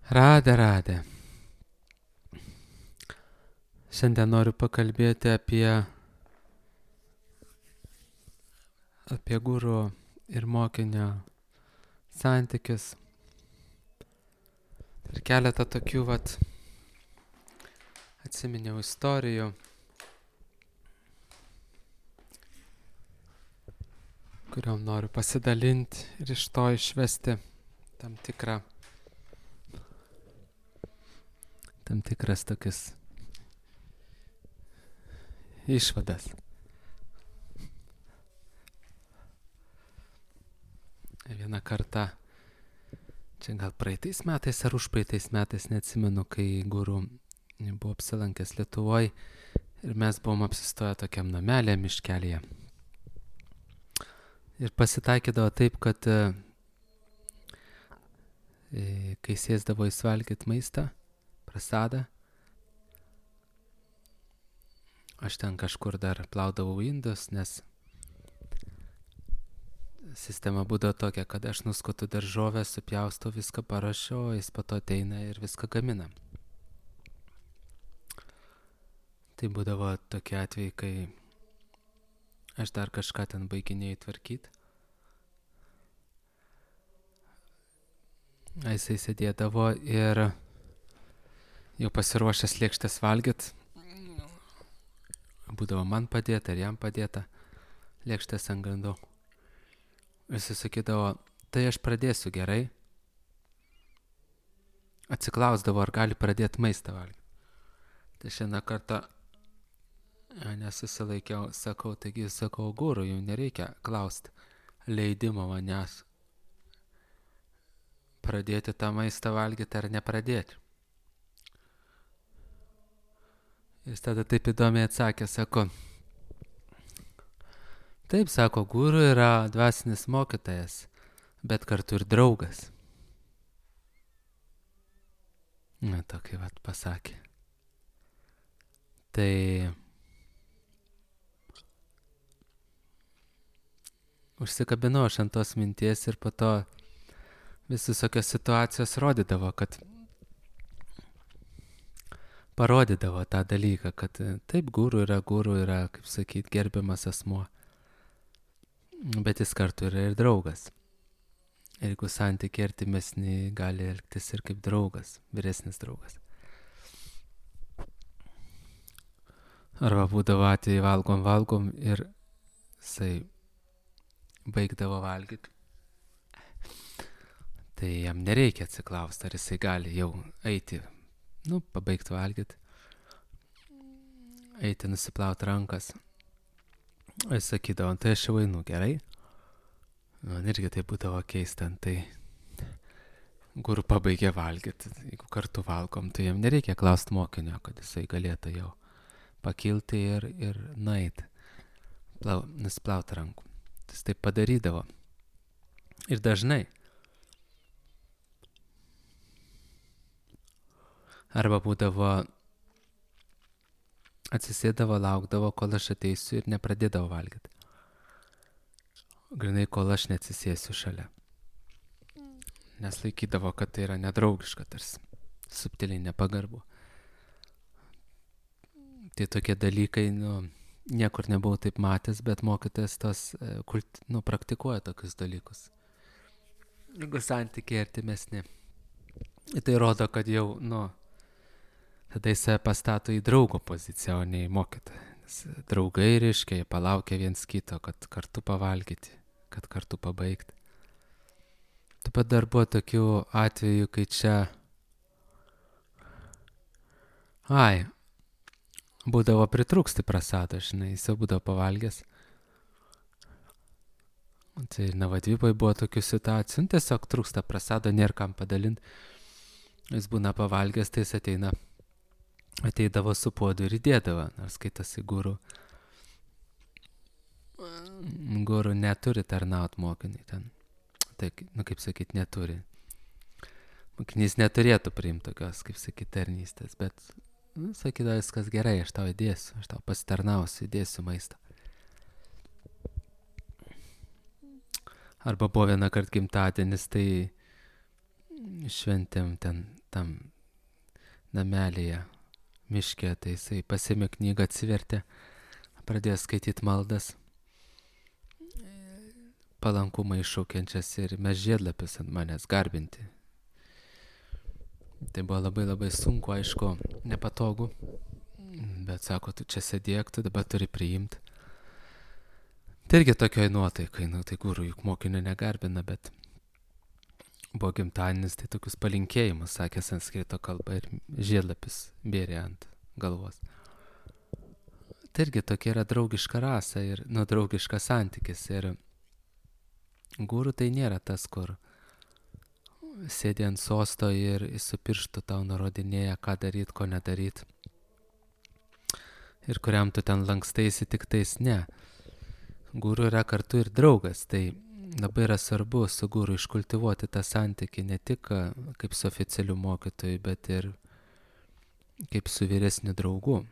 Radė. Šiandien noriu pakalbėti apie guru ir mokinio santykius. Ir keletą tokių atsiminiau istorijų, kuriom noriu pasidalinti ir iš to išvesti tam tikras tokias išvadas. Vieną kartą, čia gal praeitais metais ar užpraeitais metais, neatsimenu, kai guru buvo apsilankęs Lietuvoje ir mes buvom apsistoję tokiam namelė miškelėje. Ir pasitaikydavo taip, kad kai sėsdavo jis valgyti maistą, prasadą, aš ten kažkur dar plaudavau indus, nes sistema būdavo tokia, kad aš nuskutu daržovę, supjaustau, viską parašiau, jis po to ateina ir viską gamina. Tai būdavo tokie atvejai, kai aš dar kažką ten baiginėjau tvarkyti. Jisai sėdėdavo ir jau pasiruošęs lėkštės valgyt. Būdavo man padėta ir jam padėta lėkštės ant grindų. Jisai sakydavo, tai aš pradėsiu, gerai. Atsiklausdavo, ar gali pradėti maistą valgyti. Tai šiandien kartą nesusilaikiau, sakau, guru, jau nereikia klausti leidimo manęs pradėti tą maistą valgyti ar nepradėti. Jis tada taip įdomiai atsakė, sako, taip, sako, guru yra dvasinis mokytojas, bet kartu ir draugas. Na, tokį pasakė. Tai užsikabinau aš ant tos minties ir po to vis visokios situacijos parodydavo tą dalyką, kad taip, guru yra, kaip sakyt, gerbiamas asmuo, bet jis kartu yra ir draugas. Ir jeigu santykiai artimesni, gali elgtis ir kaip draugas, vyresnis draugas. Arba būdavo atvejai valgom ir jisai baigdavo valgyti. Tai jam nereikia atsiklausti, ar jisai gali jau eiti, pabaigti valgyti, eiti nusiplauti rankas. Jis sakydavo, tai aš jau einu, gerai. Man irgi tai būdavo keista, tai guru pabaigė valgyti. Jeigu kartu valgom, tai jam nereikia klausti mokinio, kad jisai galėtų jau pakilti ir nueiti, nusiplauti rankų. Jis taip padarydavo. Ir dažnai. Arba būdavo, atsisėdavo, laukdavo, kol aš ateisiu ir nepradėdavo valgyti. Grinai, kol aš neatsisėsiu šalia. Nes laikydavo, kad tai yra nedraugiška, tarsi subtiliai nepagarbu. Tai tokie dalykai, niekur nebuvau taip matęs, bet mokytojas praktikuoja tokius dalykus. Jeigu santykiai artimesni. Tai rodo, kad jau, tada jis pastato į draugo poziciją, o ne į mokytoją. Nes draugai, reiškia, jie palaukia viens kito, kad kartu pavalgyti, kad kartu pabaigti. Taip pat dar buvo tokių atvejų, kai čia būdavo pritrūksti prasado, žinai, jis jau būdavo pavalgęs. Tai Navadvipai buvo tokių situacijų, tiesiog trūksta prasado, nėra kam padalinti. Jis būna pavalgęs, tai jis ateidavo su puodu ir įdėdavo, nors skaitasi guru. Guru neturi tarnaut mokiniui ten. Tai, kaip sakyt, neturi. Mokinys neturėtų priimti tokios, kaip sakyt, tarnystės, bet sakydavo, viskas gerai, aš tau įdėsiu, aš tau pasitarnausiu, įdėsiu maistą. Arba buvo vieną kartą gimtadienis, tai šventėm ten tam namelėje miške, tai jisai pasiėmė knygą, atsivertė, pradėjo skaityti maldas, palankumą iššaukiančias ir mes žiedlapius ant manęs garbinti. Tai buvo labai labai sunku, aišku, nepatogu, bet sako, tu čia sėdėk, tu dabar turi priimti. Tai irgi tokioj nuotaikai, tai guru juk mokinio negarbina, bet buvo gimtadienis, tai tokius palinkėjimus sakė sanskrito kalba ir žiedlapis bėrė ant galvos. Tai irgi tokia yra draugiška rasa ir draugiškas santykis. Ir guru tai nėra tas, kur sėdi ant sosto ir su pirštu tau nurodinėja, ką daryt, ko nedaryt. Ir kuriam tu ten lankstaisi, tik tais ne. Guru yra kartu ir draugas, tai labai yra svarbu su guru iškultivuoti tą santykį ne tik kaip su oficialiu mokytoju, bet ir kaip su vyresniu draugu.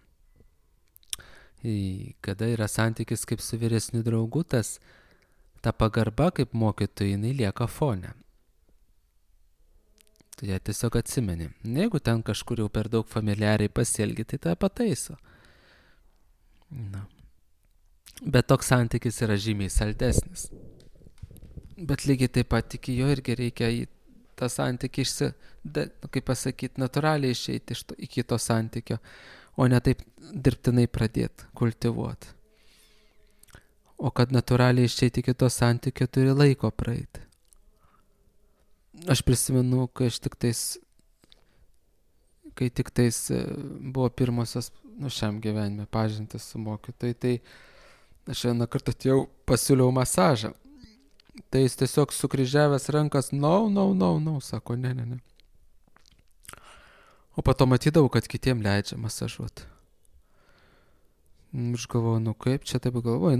Kada yra santykis kaip su vyresniu draugu, ta pagarba kaip mokytojui, jinai lieka fone. Tu ją tiesiog atsimeni. Jeigu ten kažkur jau per daug familiariai pasielgi, tai tą pataiso. Bet toks santykis yra žymiai saldesnis. Bet lygiai taip pat iki jo irgi reikia į tą santykį kaip pasakyti, natūraliai išeiti iki to santykio, o ne taip dirbtinai pradėti kultivuoti. O kad natūraliai išeiti iki to santykio, turi laiko praeiti. Aš prisimenu, kai tik tais buvo pirmosios šiam gyvenime pažintis su mokytojai, tai aš vieną kartą atėjau, pasiūliau masažą. Tai jis tiesiog sukryžiavęs rankas, no, sako, ne. O po to matydavau, kad kitiem leidžia masažuoti. Aš galvoju, kaip čia taip galvoju,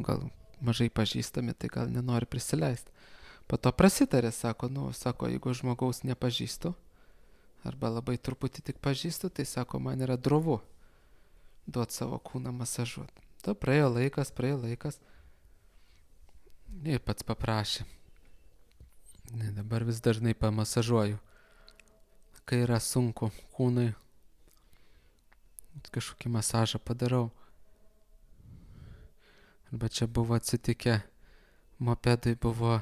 gal mažai pažįstami, tai gal nenori prisileisti. Po to prasitarė, sako, jeigu žmogaus nepažįstu, arba labai truputį tik pažįstu, tai sako, man yra drovu duoti savo kūną masažuoti. To praėjo laikas. Ir pats paprašė. Dabar vis dažnai pamasažuoju. Kai yra sunku kūnai, kažkokį masažą padarau. Arba čia buvo atsitikę, mopedui buvo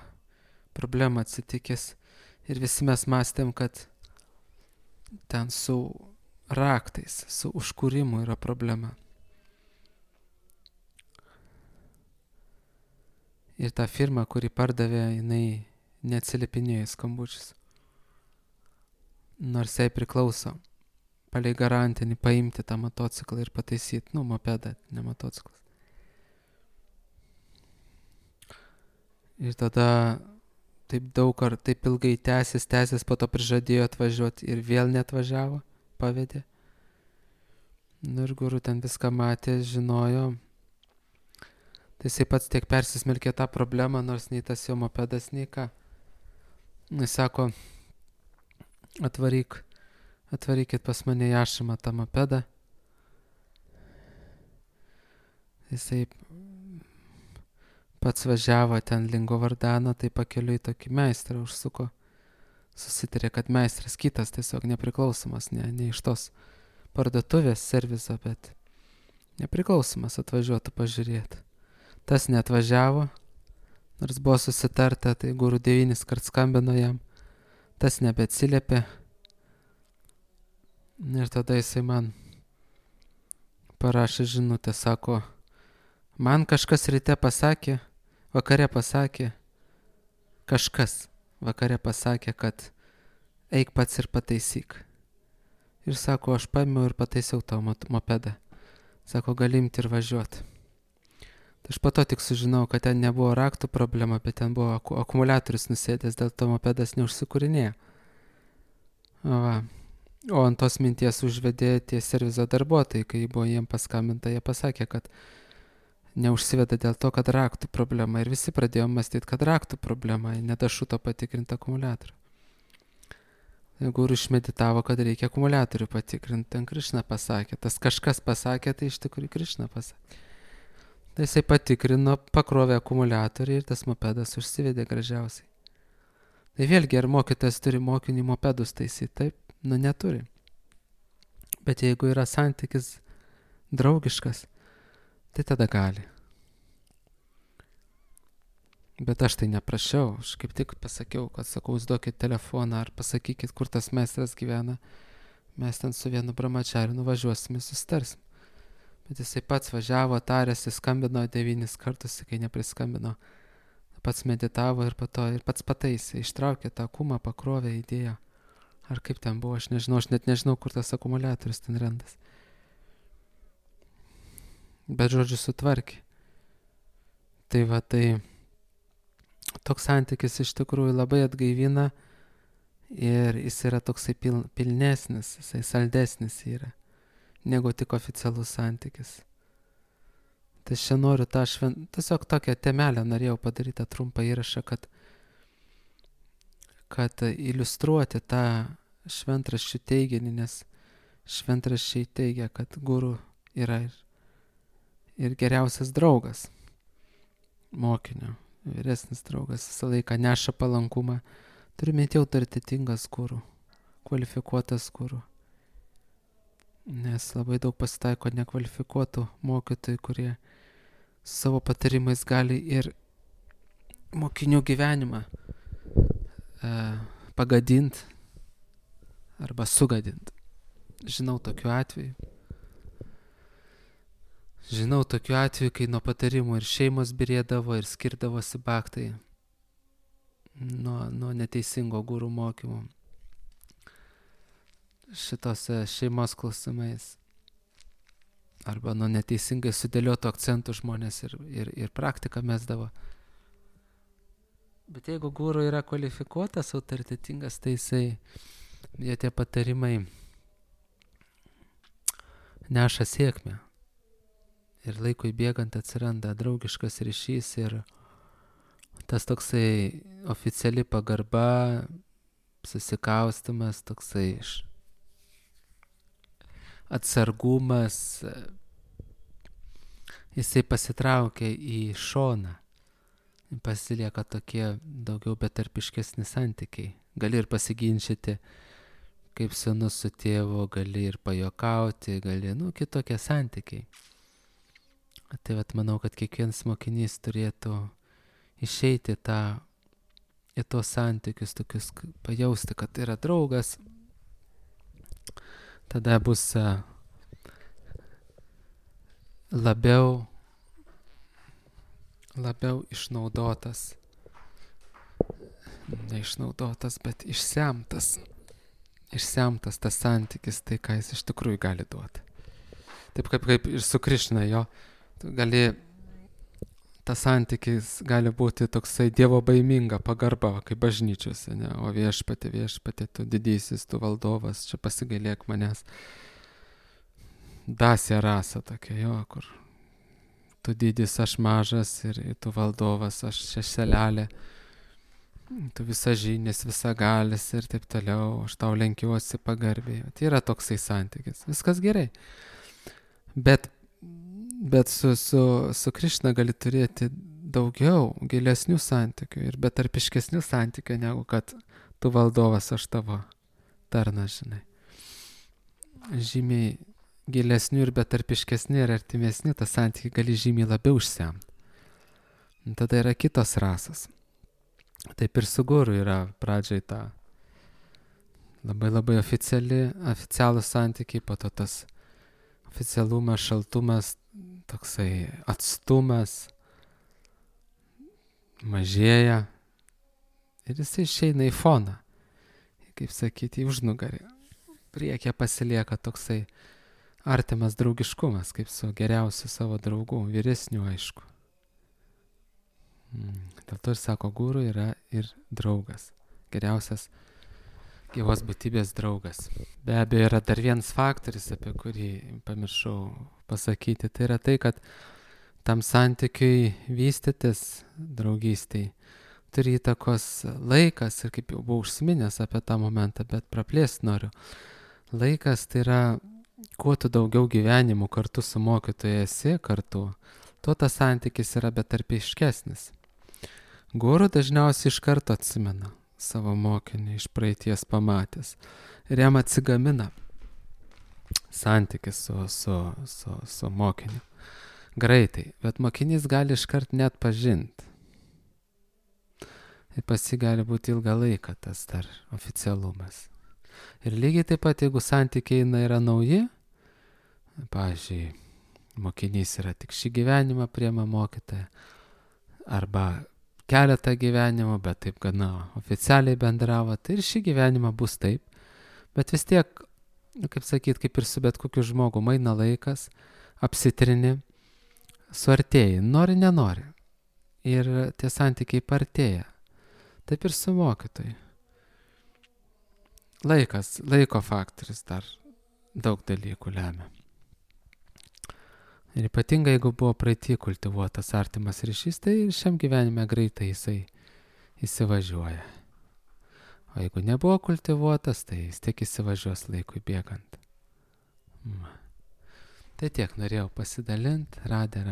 problema atsitikęs ir visi mes mąstėm, kad ten su raktais, su užkūrimu yra problema. Ir ta firma, kuri pardavė, jinai neatsiliepinėjo į skambučius. Nors jai priklauso palei garantinį paimti tą motociklą ir pataisyti, mopedą, ne motociklas. Ir tada taip ilgai tęsis, po to prižadėjo atvažiuoti ir vėl neatvažiavo, pavedė. Ir guru ten viską matė, žinojo. Tai jisai pats tiek persismelkė tą problemą, nors nei tas jo mopedas, nei ką. Jis sako, atvarykit pas mane į ašramą tą mopedą. Jisai pats važiavo ten link Govardhano, tai pakeliui tokį meistrą užsuko. Susitarė, kad meistras kitas tiesiog nepriklausomas, ne iš tos parduotuvės serviso, bet nepriklausomas atvažiuotų pažiūrėti. Tas neatvažiavo, nors buvo susitarta, tai guru 9 kart skambino jam, tas nebeatsiliepė. Ir tada jisai man parašė žinutę, sako, man kažkas ryte pasakė, vakare pasakė, kad eik pats ir pataisyk. Ir sako, aš paėmiau ir pataisiau tavo mopedą. Sako, gali imti ir važiuoti. Tai aš po to tik sužinau, kad ten nebuvo raktų problema, bet ten buvo akumuliatorius nusėdęs, dėl to mopedas neužsikūrinėjo. O ant tos minties užvedė tie servizo darbuotojai, kai buvo jiem paskambinta, jie pasakė, kad neužsiveda dėl to, kad raktų problema. Ir visi pradėjo mąstyti, kad raktų problema, nedašuto patikrinti akumuliatorių. Guru išmeditavo, kad reikia akumuliatorių patikrinti, ten Krišna pasakė. Tas kažkas pasakė, tai iš tikrųjų Krišna pasakė. Tai jisai patikrino, pakrovė akumuliatorių ir tas mopedas užsivedė gražiausiai. Tai vėlgi, ar mokytojas turi mokinį mopedus taisyti? Taip, neturi. Bet jeigu yra santykis draugiškas, tai tada gali. Bet aš tai neprašiau, aš kaip tik pasakiau, kad sakau, duokit telefoną ar pasakykit, kur tas meistras gyvena. Mes ten su vienu brahmachariu nuvažiuosim ir susitarsim. Bet jisai pats važiavo, tarėsi, skambino 9 kartus, kai nepriskambino. Pats meditavo ir pats pataisė, ištraukė tą kumą, pakrovė, įdėjo. Ar kaip ten buvo, aš nežinau, aš net nežinau, kur tas akumuliatorius ten randas. Bet žodžiu sutvarkė. Tai va, tai toks santykis iš tikrųjų labai atgaivina ir jis yra toksai pilnesnis, jisai saldesnis yra, negu tik oficialus santykis. Tai aš čia noriu tiesiog tokią temelę norėjau padaryti trumpą įrašą, kad iliustruoti tą šventraščių teiginį, nes šventraščiai teigia, kad guru yra ir geriausias draugas mokinio. Vyresnis draugas visą laiką neša palankumą. Turime jau autoritetingas guru, kvalifikuotas guru. Nes labai daug pasitaiko nekvalifikuotų mokytojų, kurie savo patarimais gali ir mokinių gyvenimą pagadinti arba sugadinti. Žinau tokiu atveju, kai nuo patarimų ir šeimos birėdavo ir skirdavosi bhaktai nuo neteisingo gurų mokymų šitose šeimos klausimais. Arba nuo neteisingai sudėliotų akcentų žmonės ir praktiką mesdavo. Bet jeigu guru yra kvalifikuotas, autoritetingas, tai jie tie patarimai neša sėkmę. Ir laikui bėgant atsiranda draugiškas ryšys ir tas toksai oficiali pagarba, susikaustimas, toksai atsargumas, jisai pasitraukia į šoną. Pasilieka tokie daugiau betarpiškesni santykiai. Gali ir pasiginčyti, kaip sūnus su tėvu, gali ir pajokauti, kitokie santykiai. Tai manau, kad kiekvienas mokinys turėtų išeiti į tos santykius, tokius pajausti, kad yra draugas. Tada bus labiau išnaudotas, neišnaudotas, bet išsemtas tas santykis, tai ką jis iš tikrųjų gali duoti. Taip kaip ir su Krišna, tas santykis gali būti toksai dievo baiminga pagarba, kaip bažnyčiose, ne? O viešpatie, tu didysis, tu valdovas, čia pasigailėk manęs. Dasė rasa tokia, kur tu didis, aš mažas ir tu valdovas, aš šešelelė, tu visažinis, visagalis ir taip toliau, aš tau lenkiuosi pagarbiai. Tai yra toksai santykis, viskas gerai. Bet su Krišna gali turėti daugiau gilesnių santykių ir betarpiškesnių santykių, negu kad tu valdovas, aš tavo tarnas, žinai. Žymiai gilesnių ir betarpiškesni ir artimesni, tą santykį gali žymiai labiau išsemti. Tada yra kitos rasos. Taip ir su guru yra pradžiai ta labai oficialūs santykiai, po to tas oficialumas, šaltumas, toksai atstumas mažėja ir jisai išeina į foną, kaip sakyti, į užnugarį. Priekyje pasilieka toksai artimas draugiškumas, kaip su geriausiu savo draugu, vyresniu, aišku. Dėl to ir sako, guru yra ir draugas, geriausias gyvos būtybės draugas. Be abejo, yra dar vienas faktorius, apie kurį pamiršau pasakyti. Tai yra tai, kad tam santykiui vystytis, draugystiai, turi įtakos laikas. Ir kaip jau buvau užsiminęs apie tą momentą, bet praplėsti noriu. Laikas tai yra, kuo tu daugiau gyvenimų kartu su mokytoju esi kartu, tuo tas santykis yra betarpiškesnis. Guru dažniausiai iš karto atsimena savo mokinį iš praeities pamatęs. Ir jam atsigamina santykis su mokiniu. Greitai, bet mokinys gali iškart net pažinti. Ir pas jį gali būti ilgą laiką tas dar oficialumas. Ir lygiai taip pat, jeigu santykiai yra nauji, pavyzdžiui, mokinys yra tik šį gyvenimą priema mokytoją, arba keletą gyvenimų, bet taip gana oficialiai bendravo, tai ir šį gyvenimą bus taip. Bet vis tiek, kaip sakyt, kaip ir su bet kokiu žmogu, eina laikas, apsitrini, suartėjai, nori, nenori. Ir tie santykiai partėja. Taip ir su mokytoju. Laiko faktorius dar daug dalykų lemia. Ir ypatingai, jeigu buvo praeitį kultivuotas artimas ryšys, tai ir šiam gyvenime greitai jisai įsivažiuoja. O jeigu nebuvo kultivuotas, tai jis tik įsivažiuos laikui bėgant. Tai tiek norėjau pasidalinti, radė.